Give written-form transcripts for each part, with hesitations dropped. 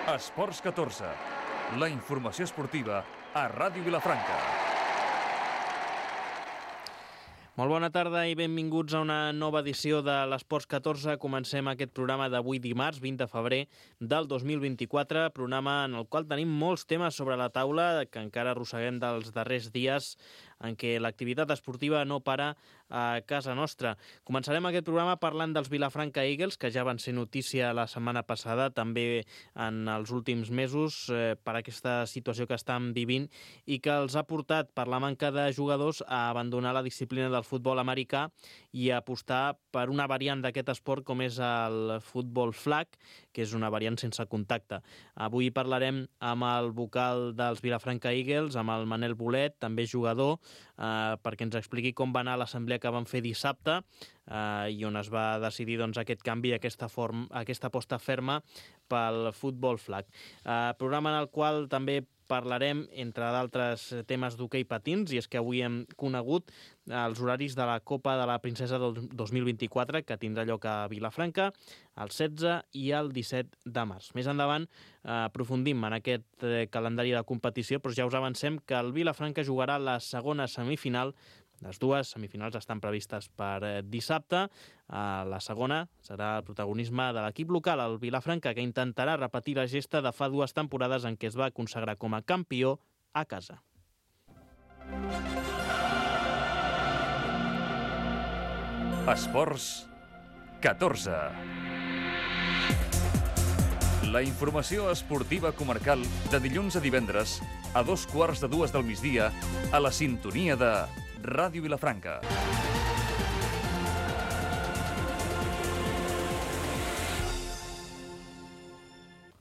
Esports 14, la informació esportiva a Ràdio Vilafranca. Molt bona tarda i benvinguts a una nova edició de l'Esports 14. Comencem aquest programa d'avui dimarts, 20 de febrer del 2024, programa en el qual tenim molts temes sobre la taula que encara arrosseguem dels darrers dies en què l'activitat esportiva no para a casa nostra. Començarem aquest programa parlant dels Vilafranca Eagles, que ja van ser notícia la setmana passada, també en els últims mesos, per aquesta situació que estan vivint i que els ha portat, per la manca de jugadors, a abandonar la disciplina del futbol americà i a apostar per una variant d'aquest esport com és el futbol flag, que és una variant sense contacte. Avui parlarem amb el vocal dels Vilafranca Eagles, amb el Manel Bolet, també jugador, perquè ens expliqui com va anar l'assemblea que van fer dissabte i on es va decidir aquest canvi, aquesta aposta ferma pel futbol flag. Programa en el qual també parlarem, entre d'altres temes, d'hoquei patins, i és que avui hem conegut els horaris de la Copa de la Princesa del 2024, que tindrà lloc a Vilafranca el 16 i el 17 de març. Més endavant aprofundim en aquest calendari de competició, però ja us avancem que el Vilafranca jugarà la segona semifinal. Les dues semifinals estan previstes per dissabte. La segona serà el protagonisme de l'equip local, el Vilafranca, que intentarà repetir la gesta de fa 2 temporades en què es va consagrar com a campió a casa. Esports 14. La informació esportiva comarcal de dilluns a divendres a 2:15 del migdia a la sintonia de Ràdio Vilafranca.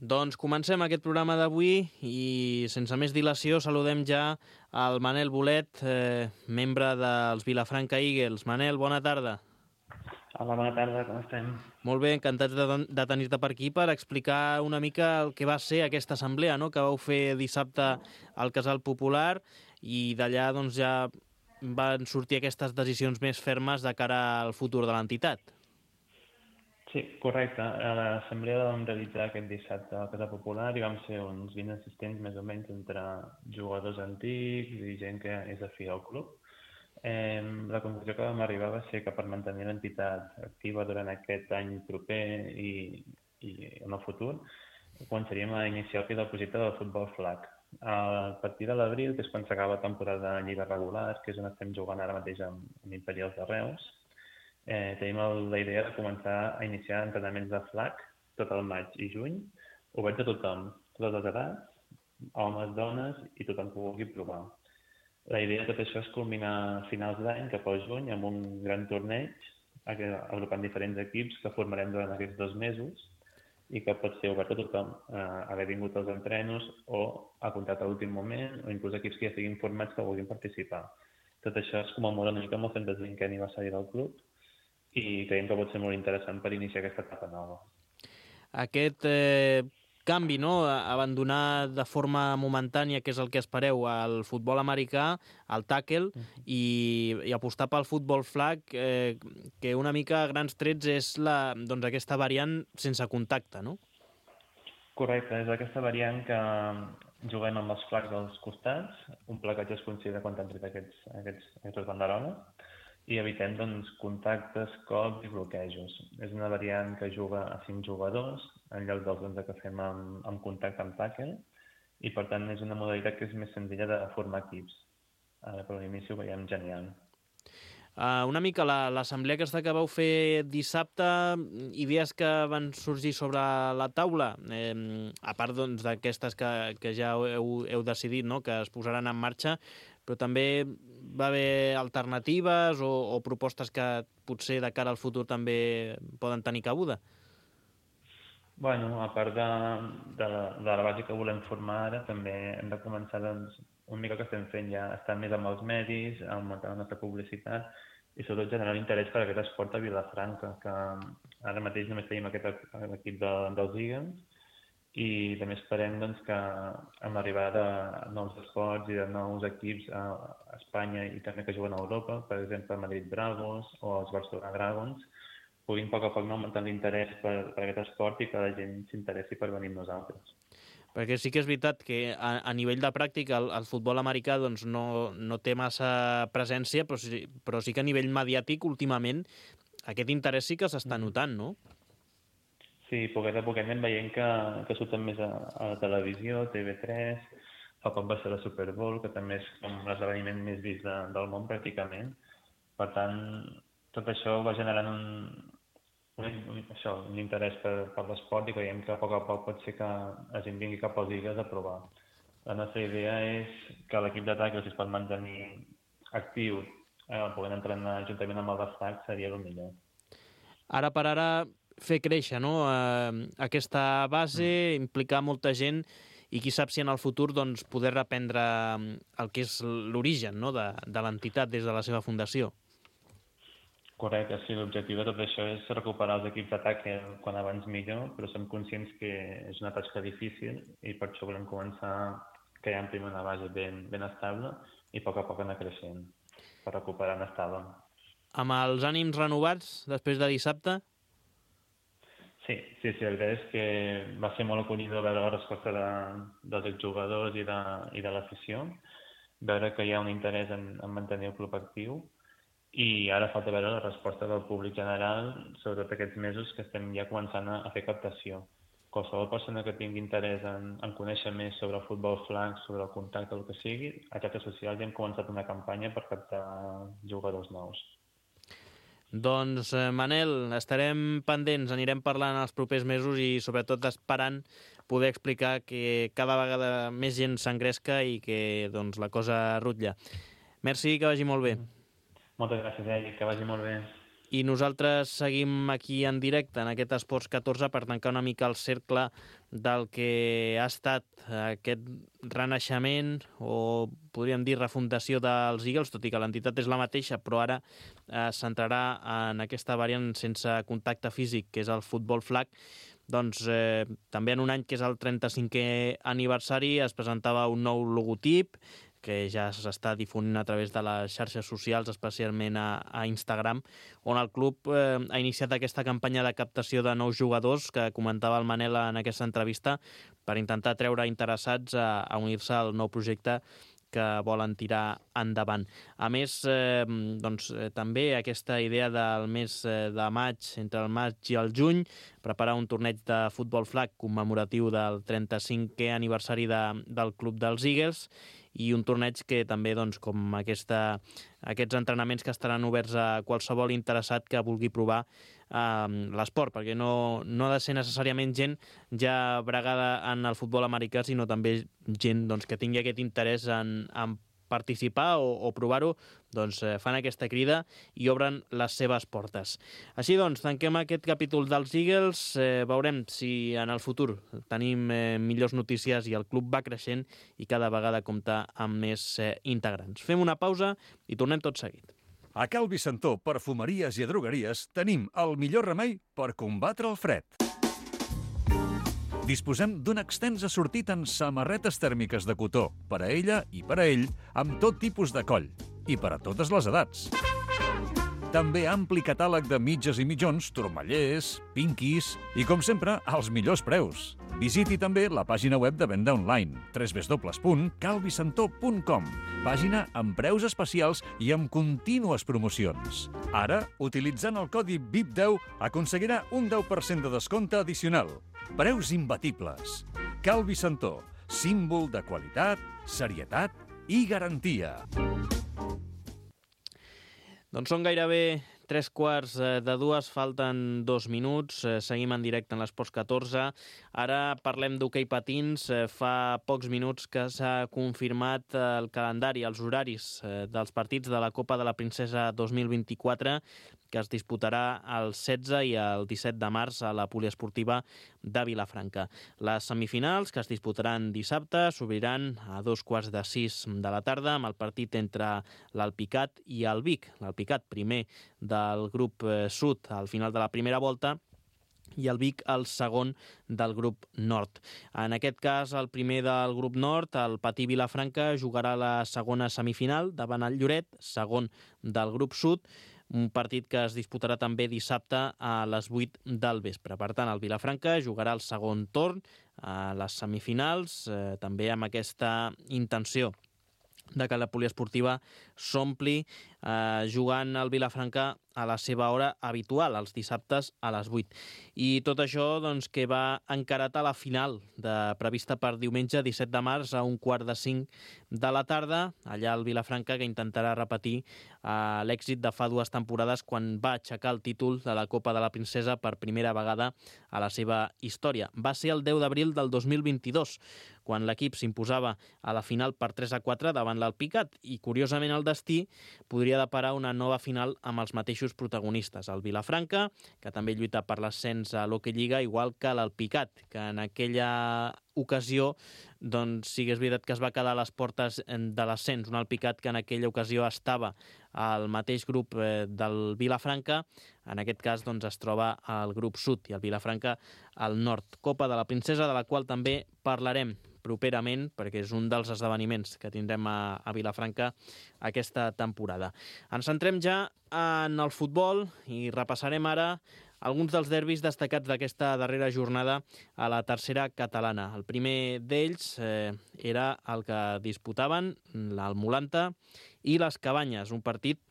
Doncs comencem aquest programa d'avui i sense més dilació saludem ja al Manel Bolet, membre dels Vilafranca Eagles. Manel, bona tarda. Hola, bona tarda, com estem? Molt bé, encantats de tenir-te per aquí per explicar una mica el que va ser aquesta assemblea, no?, que vau fer dissabte al Casal Popular, i d'allà ja van sortir aquestes decisions més fermes de cara al futur de l'entitat. Sí, correcte. A l'assemblea vam realitzar aquest dissabte al Casal Popular i vam ser uns 20 assistents més o menys entre jugadors antics i gent que és afí al club. La conclusió que vam arribar va ser que per mantenir l'entitat activa durant aquest any proper i en el futur, començaríem a iniciar el projecte del futbol flag. A partir de l'abril, que és quan s'acaba la temporada de lliga regular, que és on estem jugant ara mateix amb Imperials de Reus, tenim la idea de començar a iniciar entrenaments de flag tot el maig i juny, oberts a tothom, totes les edats, homes, dones i tothom que vulgui provar. La idea de tot això és culminar a finals d'any, cap al juny, amb un gran torneig, agrupant diferents equips que formarem durant aquests 2 mesos i que pot ser obert a tothom, haver vingut als entrenos o a comptat a l'últim moment, o inclús equips que ja estiguin formats que vulguin participar. Tot això és com a molt una mica amb el 125è aniversari del club i creiem que pot ser molt interessant per iniciar aquesta etapa nova. Aquest canvi, no?, abandonar de forma momentània, que és el que espereu, el futbol americà, el tackle, i apostar pel futbol flag, que una mica a grans trets és aquesta variant sense contacte, no? Correcte, és aquesta variant que juguem amb els flags dels costats, un placatge es considera quan han tret aquestes banderoles, i evitem contactes, cops i bloquejos. És una variant que juga a 5 jugadors, en lloc dels 11 que fem amb contacte amb tackle, i per tant és una modalitat que és més senzilla de formar equips. Ara per l'inici ho veiem genial. Una mica l'assemblea aquesta que vau fer dissabte, idees que van sorgir sobre la taula, a part d'aquestes que ja heu decidit, no?, que es posaran en marxa, però també va haver alternatives o propostes que potser de cara al futur també poden tenir cabuda? Bueno, a part de la base que volem formar ara, també hem de començar una mica que estem fent ja, estar més amb els medis, augmentar la nostra publicitat i sobretot generar interès per aquest esport a Vilafranca, que ara mateix només tenim l'equip dels Eagles i també esperem que amb l'arribada de nous esports i de nous equips a Espanya i també que juguen a Europa, per exemple Madrid Bravos o els Barcelona Dragons, puguin a poc augmentar l'interès per aquest esport i que la gent s'interessi per venir amb nosaltres. Perquè sí que és veritat que a nivell de pràctica el futbol americà doncs, no té massa presència, però sí que a nivell mediàtic últimament aquest interès sí que s'està notant, no? Sí, poquet a poquet anem veient que surten més a la televisió, TV3, fa poc va ser la Super Bowl, que també és com l'esdeveniment més vist del món pràcticament. Per tant, tot això va generant un interès per l'esport i creiem que a poc pot ser que la gent vingui cap als Eagles a provar. La nostra idea és que l'equip d'atac si es pot mantenir actiu, podent entrenar juntament amb el destac, seria el millor. Ara per ara fer créixer, no? Aquesta base, implicar molta gent i qui sap si en el futur doncs, poder reprendre el que és l'origen, no? de l'entitat des de la seva fundació. Correcte, sí, l'objectiu de tot això és recuperar els equips d'atac quan abans millor, però som conscients que és una tasca difícil i per això volem començar creant primer una base ben estable i a poc anar creixent per recuperar en estable. Amb els ànims renovats després de dissabte? Sí, la veritat és que va ser molt acollidor veure la resposta dels exjugadors i de l'afició, veure que hi ha un interès en mantenir el club actiu i ara falta veure la resposta del públic general, sobretot aquests mesos que estem ja començant a fer captació. Qualsevol persona que tingui interès en conèixer més sobre el futbol flag, sobre el contacte o el que sigui, a xarxes socials ja hem començat una campanya per captar jugadors nous. Doncs, Manel, estarem pendents, anirem parlant els propers mesos i sobretot esperant poder explicar que cada vegada més gent s'engresca i que doncs, la cosa rutlla. Merci, que vagi molt bé. Moltes gràcies, Eric, que vagi molt bé. I nosaltres seguim aquí en directe en aquest Esports 14 per tancar una mica el cercle del que ha estat aquest renaixement o podríem dir refundació dels Eagles, tot i que l'entitat és la mateixa, però ara s'entrarà en aquesta variant sense contacte físic, que és el futbol flag. Doncs també en un any que és el 35è aniversari es presentava un nou logotip que ja s'està difonint a través de les xarxes socials, especialment a Instagram, on el club ha iniciat aquesta campanya de captació de nous jugadors que comentava el Manel en aquesta entrevista per intentar treure interessats a unir-se al nou projecte que volen tirar endavant. A més, també aquesta idea del mes de maig, entre el maig i el juny, preparar un torneig de futbol flag commemoratiu del 35è aniversari del club dels Eagles i un torneig que també, com aquests entrenaments que estaran oberts a qualsevol interessat que vulgui provar l'esport, perquè no ha de ser necessàriament gent ja bregada en el futbol americà, sinó també gent que tingui aquest interès en participar o provar-ho, fan aquesta crida i obren les seves portes. Així tanquem aquest capítol dels Eagles, veurem si en el futur tenim millors notícies i el club va creixent i cada vegada compta amb més integrants. Fem una pausa i tornem tot seguit. A Cal Vicentó, perfumeries i drogueries, tenim el millor remei per combatre el fred. Disposem d'un extens assortit en samarretes tèrmiques de cotó, per a ella i per a ell, amb tot tipus de coll, i per a totes les edats. També ampli catàleg de mitges i mitjons, turmallers, pinquis i, com sempre, als millors preus. Visiti també la pàgina web de venda online, www.calvicentó.com, pàgina amb preus especials i amb contínues promocions. Ara, utilitzant el codi VIP10, aconseguirà un 10% de descompte addicional. Preus imbatibles. Cal Vicentó, símbol de qualitat, serietat i garantia. Doncs són gairebé 3:45, falten 2 minuts, seguim en directe en l'Esports 14. Ara parlem d'hoquei patins. Fa pocs minuts que s'ha confirmat el calendari, els horaris dels partits de la Copa de la Princesa 2024, que es disputarà el 16 i el 17 de març a la poliesportiva de Vilafranca. Les semifinals, que es disputaran dissabte, s'obriran a 14:45 de la tarda amb el partit entre l'Alpicat i el Vic. L'Alpicat primer del grup sud al final de la primera volta i el Vic el segon del grup nord. En aquest cas, el primer del grup nord, el Patí Vilafranca, jugarà la segona semifinal davant el Lloret, segon del grup sud. un partit que es disputarà també dissabte a les 8 del vespre. Per tant, el Vilafranca jugarà el segon torn a les semifinals, també amb aquesta intenció de que la poliesportiva s'ompli jugant al Vilafranca a la seva hora habitual, els dissabtes a les 8. I tot això doncs, que va encarat a la final prevista per diumenge 17 de març a 4:45 de la tarda, allà al Vilafranca, que intentarà repetir l'èxit de fa 2 temporades quan va aixecar el títol de la Copa de la Princesa per primera vegada a la seva història. Va ser el 10 d'abril del 2022, quan l'equip s'imposava a la final per 3-4 davant l'Alpicat, i curiosament el destí podria deparar una nova final amb els mateixos protagonistes. El Vilafranca, que també lluita per l'ascens a l'Hockey Lliga, igual que l'Alpicat, que en aquella ocasió, doncs sí que és veritat que es va quedar a les portes de l'ascens, un Alpicat que en aquella ocasió estava al mateix grup del Vilafranca, en aquest cas doncs, es troba al grup sud i el Vilafranca al nord. Copa de la Princesa, de la qual també parlarem properament, perquè és un dels esdeveniments que tindrem a Vilafranca aquesta temporada. Ens centrem ja en el futbol i repassarem ara alguns dels derbis destacats d'aquesta darrera jornada a la tercera catalana. El primer d'ells era el que disputaven el Mulanta i les Cabanyes, un partit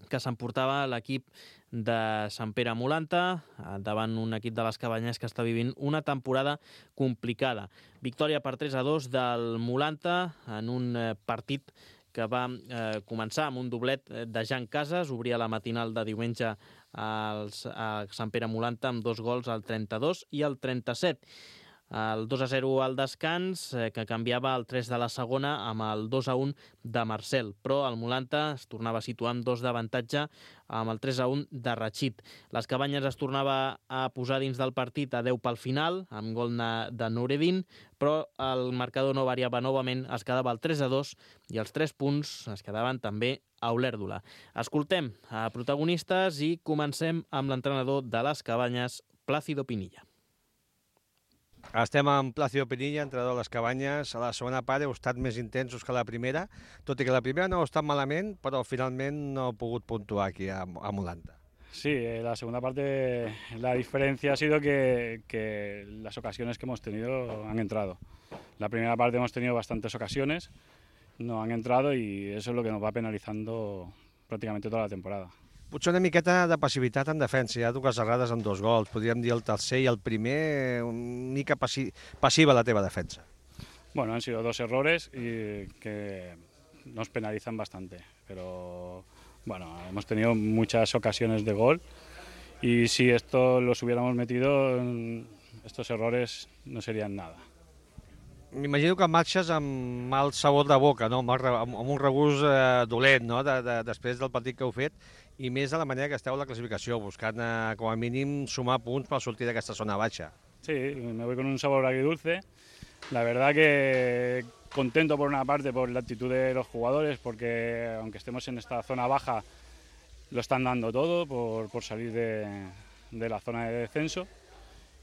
que s'emportava l'equip de Sant Pere Mulanta davant un equip de les Cabanyes que està vivint una temporada complicada. Victòria per 3-2 del Mulanta en un partit que va començar amb un doblet de Jan Casas, obria la matinal de diumenge a Sant Pere Mulanta amb 2 gols al 32 i al 37. El 2-0 al descans, que canviava el 3 de la segona amb el 2-1 de Marcel, però el Mulanta es tornava a situar amb 2 d'avantatge amb el 3-1 de Rachid. Les Cabanyes es tornava a posar dins del partit a 10 pel final, amb gol de Noureddin, però el marcador no variava novament, es quedava el 3-2 i els 3 punts es quedaven també a Olèrdola. Escoltem a protagonistes i comencem amb l'entrenador de les Cabanyes, Plácido Pinilla. Estem amb Plácido Pinilla, entrenador de les Cabanyes. A la segona part heu estat més intensos que la primera, tot i que la primera no ha estat malament, però finalment no heu pogut puntuar aquí a Mulanta. Sí, la segunda parte la diferencia ha sido que las ocasiones que hemos tenido han entrado. La primera parte hemos tenido bastantes ocasiones, no han entrado y eso es lo que nos va penalizando prácticamente toda la temporada. Potser una miqueta de passivitat en defensa, hi ha 2 errades amb 2 gols, podríem dir el tercer i el primer, una mica passiva la teva defensa. Bueno, han sido 2 errores y que nos penalizan bastante, pero bueno, hemos tenido muchas ocasiones de gol y si esto los hubiéramos metido, estos errores no serían nada. M'imagino que marxes amb mal sabor de boca, no? amb un regust dolent, no? Després del partit que heu fet, i més de la manera que esteu a la clasificació, buscant com a mínim sumar punts per sortir d'aquesta zona baixa. Sí, me voy con un sabor agridulce. La verdad que contento por una parte por la actitud de los jugadores, porque aunque estemos en esta zona baja, lo están dando todo por salir de la zona de descenso.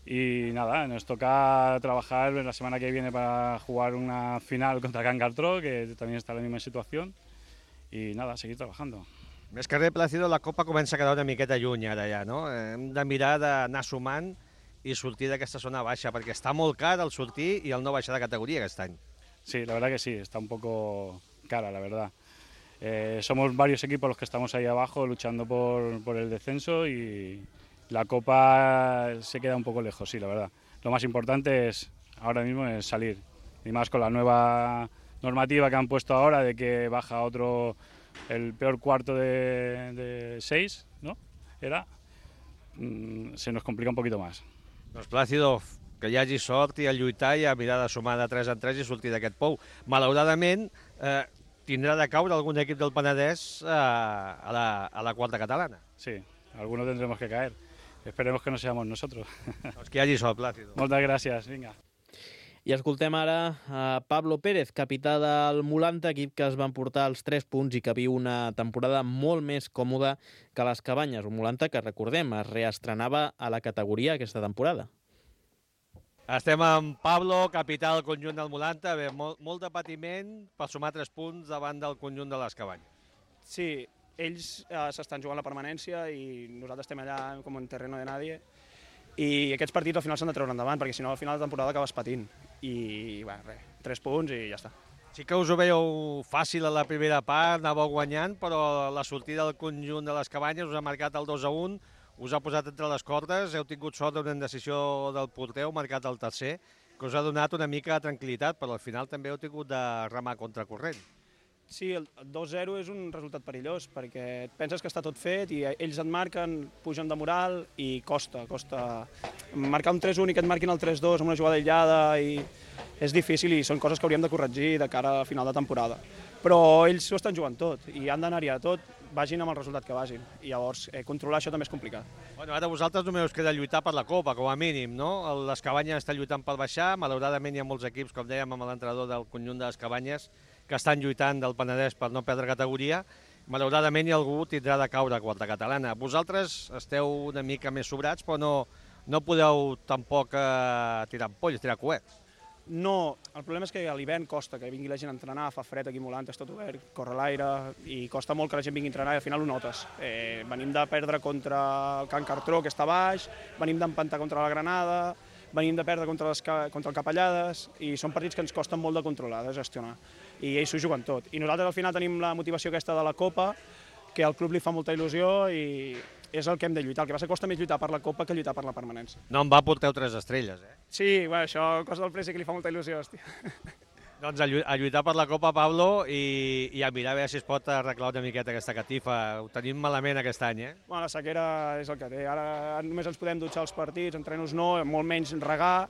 Y nada, nos toca trabajar la semana que viene para jugar una final contra Can Cartró, que también está en la misma situación. Y nada, seguir trabajando. Més que res, Plácido, la Copa comença a quedar una miqueta lluny ara ja, no? Hem de mirar d'anar sumant i sortir d'aquesta zona baixa, perquè està molt car el sortir i el no baixar de categoria aquest any. Sí, la verdad que sí, está un poco cara, la verdad. Somos varios equipos los que estamos ahí abajo luchando por el descenso y la Copa se queda un poco lejos, sí, la verdad. Lo más importante ahora mismo es salir, y más con la nueva normativa que han puesto ahora de que baja el peor cuarto de 6, ¿no? Se nos complica un poquito más. Doncs Plácido, que hi hagi sort i a lluitar i a mirar de sumar de 3 en 3 i sortir d'aquest pou. Malauradament, tindrà de caure algun equip del Penedès a la quarta catalana. Sí, algunos tendremos que caer. Esperemos que no seamos nosotros. Doncs que hi hagi sort, Plácido. Moltes gràcies, vinga. I escoltem ara a Pablo Pérez, capità del Mulanta, equip que es va emportar els 3 punts i que viu una temporada molt més còmoda que les Cabanyes. Un Mulanta que, recordem, es reestrenava a la categoria aquesta temporada. Estem amb Pablo, capità del conjunt del Mulanta. Bé, molt de patiment per sumar 3 punts davant del conjunt de les Cabanyes. Sí, ells s'estan jugant la permanència i nosaltres estem allà com en terreno de nadie, i aquests partits al final s'han de treure endavant, perquè si no al final de temporada acabes patint. I res, 3 punts i ja està. Sí que us ho veieu fàcil a la primera part, anàveu guanyant, però la sortida del conjunt de les Cabanyes us ha marcat el 2-1, us ha posat entre les cordes, heu tingut sort d'una indecisió del porter, heu marcat el tercer, que us ha donat una mica de tranquil·litat, però al final també heu tingut de remar contracorrent. Sí, el 2-0 és un resultat perillós, perquè et penses que està tot fet i ells et marquen, pugen de moral i costa. Marcar un 3-1 i que et marquin el 3-2 amb una jugada aïllada i és difícil i són coses que hauríem de corregir de cara a final de temporada. Però ells ho estan jugant tot i han d'anar-hi a tot, vagin amb el resultat que vagin. I llavors controlar això també és complicat. Bueno, ara vosaltres només us queda lluitar per la Copa, com a mínim, no? Les Cabanyes estan lluitant per baixar, malauradament hi ha molts equips, com dèiem, amb l'entrenador del conjunt de les Cabanyes, que estan lluitant del Penedès per no perdre categoria. Malauradament algú tindrà de caure a quarta catalana. Vosaltres esteu una mica més sobrats, però no podeu tampoc tirar ampolles, tirar coets. No, el problema és que a l'hivern costa que vingui la gent a entrenar, fa fred aquí Molant, és tot obert, corre l'aire i costa molt que la gent vingui a entrenar i al final ho notes. Venim de perdre contra el Can Cartró, que està baix, venim d'empantar contra la Granada, venim de perdre contra el Capellades i són partits que ens costen molt de controlar, de gestionar. I ells s'ho juguen tot. I nosaltres al final tenim la motivació aquesta de la Copa, que al club li fa molta il·lusió i és el que hem de lluitar. El que passa que costa més lluitar per la Copa que lluitar per la permanència. No em va porteu 3 estrelles, eh? Sí, bueno, això cosa del Presi que li fa molta il·lusió, hòstia. Doncs a lluitar per la Copa, Pablo, i a mirar a veure si es pot arreglar una miqueta aquesta catifa. Ho tenim malament aquest any, eh? Bueno, la sequera és el que té. Ara només ens podem dutxar els partits, entrenos no, molt menys regar,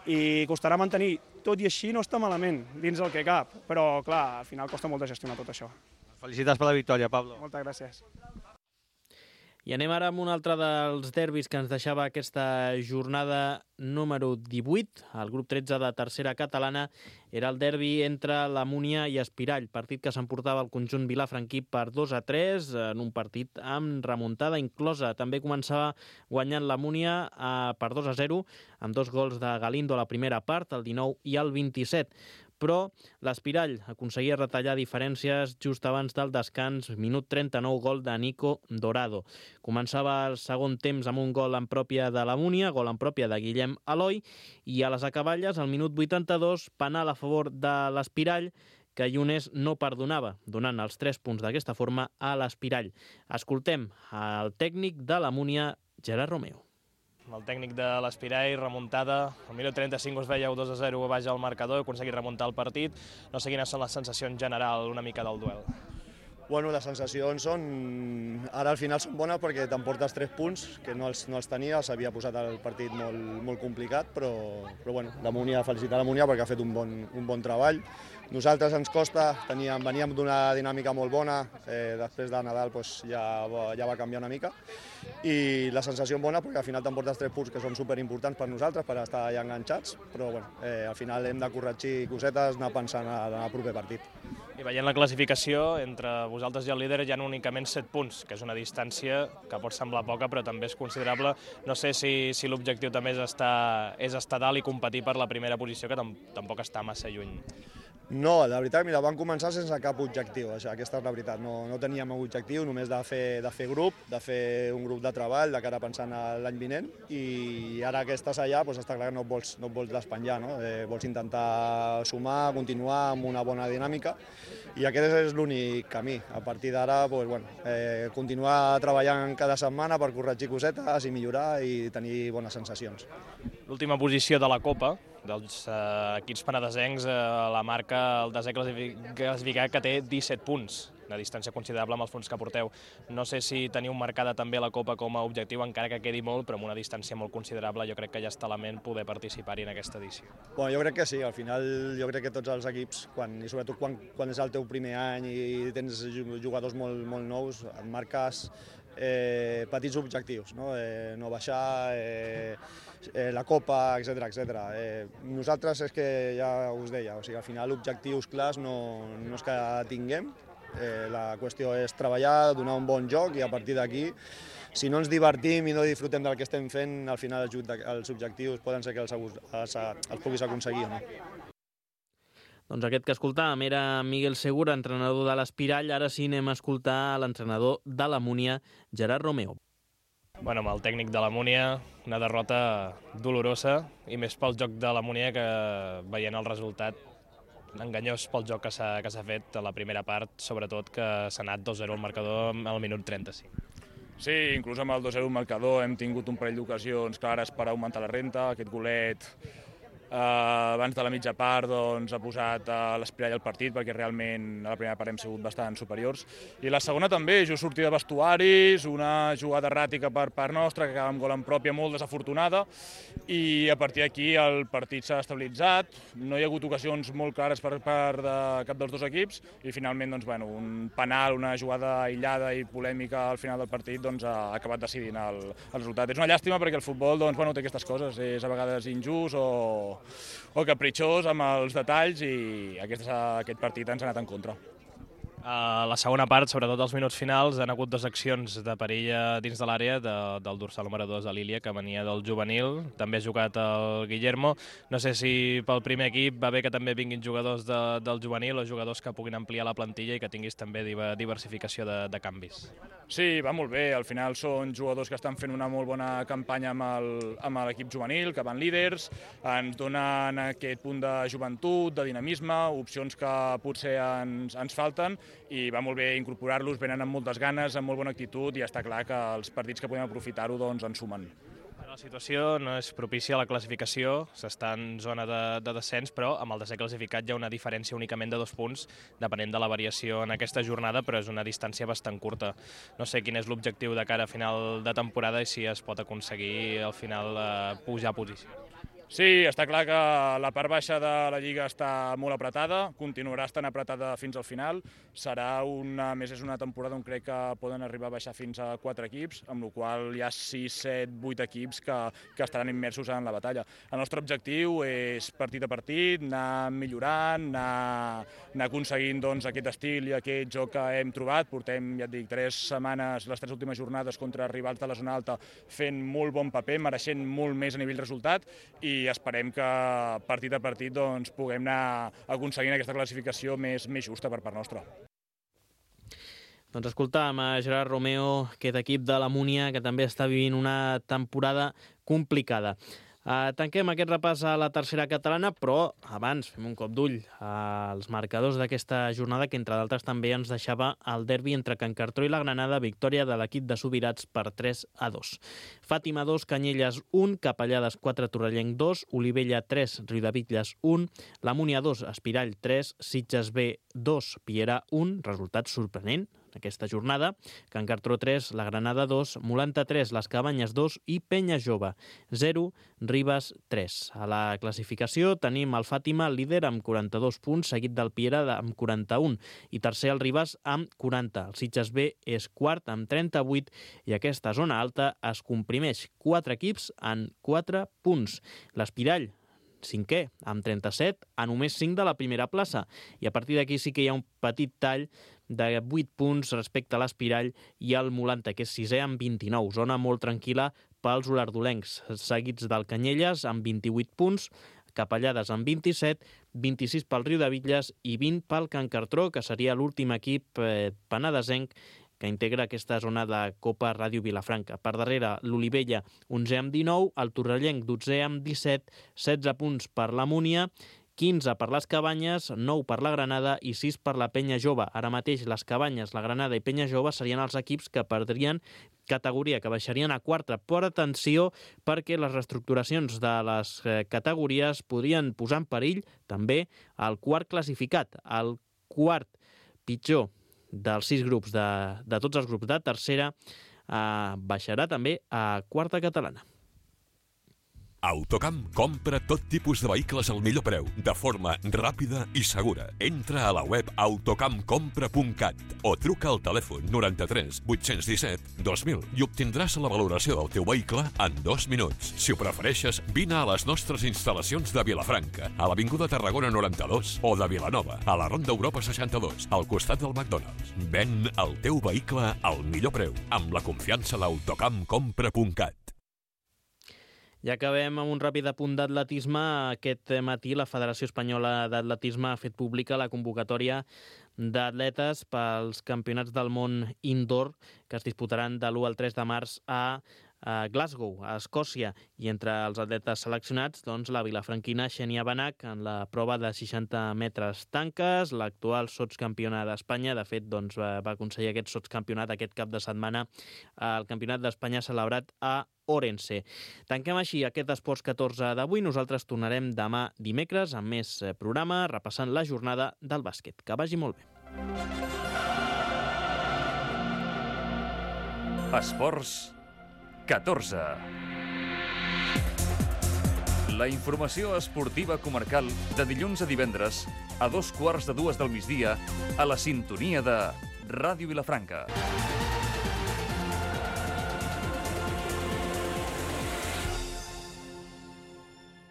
i costarà mantenir. Tot i així no està malament, dins el que cap, però clar, al final costa molt de gestionar tot això. Felicitats per la victòria, Pablo. Moltes gràcies. I anem ara amb un altre dels derbis que ens deixava aquesta jornada número 18. El grup 13 de tercera catalana era el derbi entre la Múnia i Espirall, partit que s'emportava el conjunt vilafranquí per 2-3 en un partit amb remuntada inclosa. També començava guanyant la Múnia per 2-0 amb 2 gols de Galindo a la primera part, el 19 i el 27. Però l'Espirall aconseguia retallar diferències just abans del descans, minut 39, gol de Nico Dorado. Començava el segon temps amb un gol en pròpia de la Múnia, gol en pròpia de Guillem Eloi, i a les acaballes, al minut 82, penal a favor de l'Espirall, que Llunes no perdonava, donant els 3 punts d'aquesta forma a l'Espirall. Escoltem el tècnic de la Múnia, Gerard Romeo. El tècnic de l'Espirall, remuntada, al minut 35 us veieu 2-0 baix al marcador, heu aconseguit remuntar el partit. No sé quines són les sensacions generals una mica del duel. Bueno, les sensacions són... Ara al final són bones perquè t'emportes 3 punts, que no els tenia, s'havia posat el partit molt complicat, però bueno, felicitar la Múnia perquè ha fet un bon treball. Nosaltres ens costa, veníem d'una dinàmica molt bona, després de Nadal ja va canviar una mica, i la sensació bona perquè al final t'emportes 3 punts que són superimportants per nosaltres, per estar allà enganxats, però bueno, al final hem de corregir cosetes, anar pensant en el proper partit. I veient la classificació, entre vosaltres i el líder hi ha únicament 7 punts, que és una distància que pot semblar poca però també és considerable. No sé si l'objectiu també és estar dalt i competir per la primera posició, que tampoc està massa lluny. No, la veritat, mira, vam començar sense cap objectiu, aquesta és la veritat. No teníem un objectiu, només de fer grup, de fer un grup de treball de cara pensant a l'any vinent, i ara que estàs allà està clar que no et vols despenjar, no? Vols intentar sumar, continuar amb una bona dinàmica, i aquest és l'únic camí. A partir d'ara, continuar treballant cada setmana per corregir cosetes i millorar i tenir bones sensacions. L'última posició de la Copa, dels equips penedesencs, la marca el desè classificat, que té 17 punts, una distància considerable amb els punts que porteu. No sé si teniu marcada també la Copa com a objectiu, encara que quedi molt, però amb una distància molt considerable, jo crec que ja està a la ment poder participar-hi en aquesta edició. Jo crec que sí, al final jo crec que tots els equips, i sobretot quan és el teu primer any i tens jugadors molt nous, et marques petits objectius, no baixar, la Copa, etc. Nosaltres és que ja us deia, al final objectius clars no és que tinguem, la qüestió és treballar, donar un bon joc i a partir d'aquí, si no ens divertim i no disfrutem del que estem fent, al final els objectius poden ser que els puguis aconseguir o no. Doncs aquest que escoltàvem era Miguel Segura, entrenador de l'Espirall. Ara sí anem a escoltar l'entrenador de la Múnia, Gerard Romeo. Bueno, amb el tècnic de la Múnia, una derrota dolorosa, i més pel joc de la Múnia, que veient el resultat enganyós pel joc que s'ha fet a la primera part, sobretot que s'ha anat 2-0 al marcador al minut 35. Sí, inclús amb el 2-0 al marcador hem tingut un parell d'ocasions clares per augmentar la renta. Aquest golet abans de la mitja part doncs, ha posat l'Espirall al partit, perquè realment a la primera part hem sigut bastant superiors. I la segona també, just sortida de vestuaris, una jugada erràtica per part nostra, que acaba amb gol en pròpia molt desafortunada, i a partir d'aquí el partit s'ha estabilitzat, no hi ha hagut ocasions molt clares per part de cap dels dos equips, i finalment doncs, bueno, un penal, una jugada aïllada i polèmica al final del partit doncs, ha acabat decidint el resultat. És una llàstima perquè el futbol doncs, bueno, té aquestes coses, és a vegades injust o capritxós amb els detalls, i aquest partit ens ha anat en contra. A la segona part, sobretot als minuts finals, han hagut 2 accions de perill dins de l'àrea del dorsal número 2 de l'Ilia, que venia del juvenil. També ha jugat el Guillermo. No sé si pel primer equip va bé que també vinguin jugadors del juvenil o jugadors que puguin ampliar la plantilla i que tinguis també diversificació de canvis. Sí, va molt bé. Al final són jugadors que estan fent una molt bona campanya amb l'equip juvenil, que van líders, ens donen aquest punt de joventut, de dinamisme, opcions que potser ens falten, i va molt bé incorporar-los, venen amb moltes ganes, amb molt bona actitud, i està clar que els partits que podem aprofitar-ho doncs, en sumen. La situació no és propícia a la classificació, s'està en zona de descens, però amb el desè classificat hi ha una diferència únicament de 2 punts, depenent de la variació en aquesta jornada, però és una distància bastant curta. No sé quin és l'objectiu de cara a final de temporada i si es pot aconseguir al final pujar a posició. Sí, està clar que la part baixa de la Lliga està molt apretada, continuarà estant apretada fins al final. És una temporada on crec que poden arribar a baixar fins a 4 equips, amb la qual hi ha 6, 7, 8 equips que estaran immersos en la batalla. El nostre objectiu és partit a partit, anar millorant, anar aconseguint doncs, aquest estil i aquest joc que hem trobat. Portem, ja et dic, 3 setmanes, les 3 últimes jornades contra rivals de la zona alta, fent molt bon paper, mereixent molt més a nivell resultat, i esperem que partit a partit doncs, puguem anar aconseguint aquesta classificació més justa per part nostra. Doncs escoltàvem a Gerard Romeo, aquest equip de la Múnia, que també està vivint una temporada complicada. Tanquem aquest repàs a la tercera catalana, però abans fem un cop d'ull als marcadors d'aquesta jornada, que entre d'altres també ens deixava el derbi entre Can Cartró i la Granada, victòria de l'equip de Subirats per 3-2. Fàtima 2, Canyelles 1, Capellades 4, Torrellenc 2, Olivella 3, Riudebitlles 1, la Múnia 2, Espirall 3, Sitges B 2, Piera 1, resultat sorprenent aquesta jornada, Can Cartró 3, la Granada 2, Molanta 3, les Cabanyes 2 i Penya Jove 0, Ribes 3. A la classificació tenim el Fàtima líder amb 42 punts, seguit del Piera amb 41 i tercer el Ribes amb 40. El Sitges B és quart amb 38 i aquesta zona alta es comprimeix 4 equips en 4 punts. L'Espirall cinquè, amb 37, a només 5 de la primera plaça. I a partir d'aquí sí que hi ha un petit tall de 8 punts respecte a l'Espirall i el Molanta, que és 6è amb 29. Zona molt tranquil·la pels olardolencs, seguits del Canyelles amb 28 punts, Capellades amb 27, 26 pel Riudebitlles i 20 pel Can Cartró, que seria l'últim equip penedesenc que integra aquesta zona de Copa Ràdio Vilafranca. Per darrere, l'Olivella, 11è amb 19, el Torrellenc, 12è amb 17, 16 punts per la Múnia, 15 per les Cabanyes, 9 per la Granada i 6 per la Penya Jove. Ara mateix les Cabanyes, la Granada i Penya Jove serien els equips que perdrien categoria, que baixarien a quarta. Però atenció, perquè les reestructuracions de les categories podrien posar en perill també el quart classificat, el quart pitjor dels 6 grups, de tots els grups de tercera, baixarà també a quarta catalana. Autocamp compra tot tipus de vehicles al millor preu, de forma ràpida i segura. Entra a la web autocampcompra.cat o truca al telèfon 93 817 2000 i obtindràs la valoració del teu vehicle en 2 minuts. Si ho prefereixes, vine a les nostres instal·lacions de Vilafranca, a l'Avinguda Tarragona 92 o de Vilanova, a la Ronda Europa 62, al costat del McDonald's. Ven el teu vehicle al millor preu, amb la confiança d'Autocampcompra.cat. I acabem amb un ràpid apunt d'atletisme. Aquest matí la Federació Espanyola d'Atletisme ha fet pública la convocatòria d'atletes pels campionats del món indoor que es disputaran de l'1 al 3 de març a Glasgow, a Escòcia, i entre els atletes seleccionats, doncs, la vilafranquina Xènia Benach en la prova de 60 metres tanques, l'actual sotscampiona d'Espanya. De fet, doncs, va aconseguir aquest sotscampionat aquest cap de setmana al Campionat d'Espanya celebrat a Orense. Tanquem així aquest Esports 14 d'avui. Nosaltres tornarem demà dimecres amb més programa, repassant la jornada del bàsquet. Que vagi molt bé. Esports 14. La informació esportiva comarcal de dilluns a divendres a 2:15 del migdia a la sintonia de Ràdio Vilafranca.